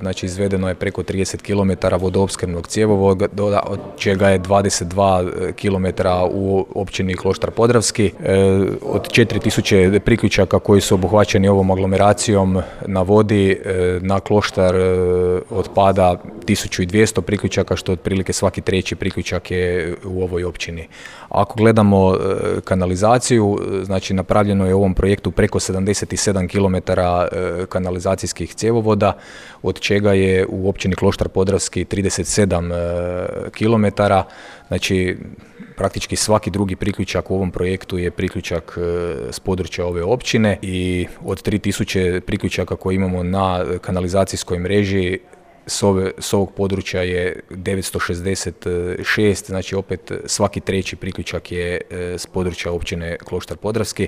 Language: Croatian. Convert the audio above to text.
Znači izvedeno je preko 30 km vodoopskrbnog cjevovoda, od čega je 22 km u općini Kloštar Podravski. Od 4000 priključaka koji su obuhvaćeni ovom aglomeracijom na vodi, na Kloštar otpada 1200 priključaka, što otprilike svaki treći priključak je u ovoj općini. Ako gledamo kanalizaciju, znači napravljeno je u ovom projektu preko 77 km kanalizacijskih cjevovoda, od čega je u općini Kloštar Podravski 37 km. Znači praktički svaki drugi priključak u ovom projektu je priključak s područja ove općine i od 3000 priključaka koje imamo na kanalizacijskoj mreži, s ovog područja je 966, znači opet svaki treći priključak je s područja općine Kloštar Podravski.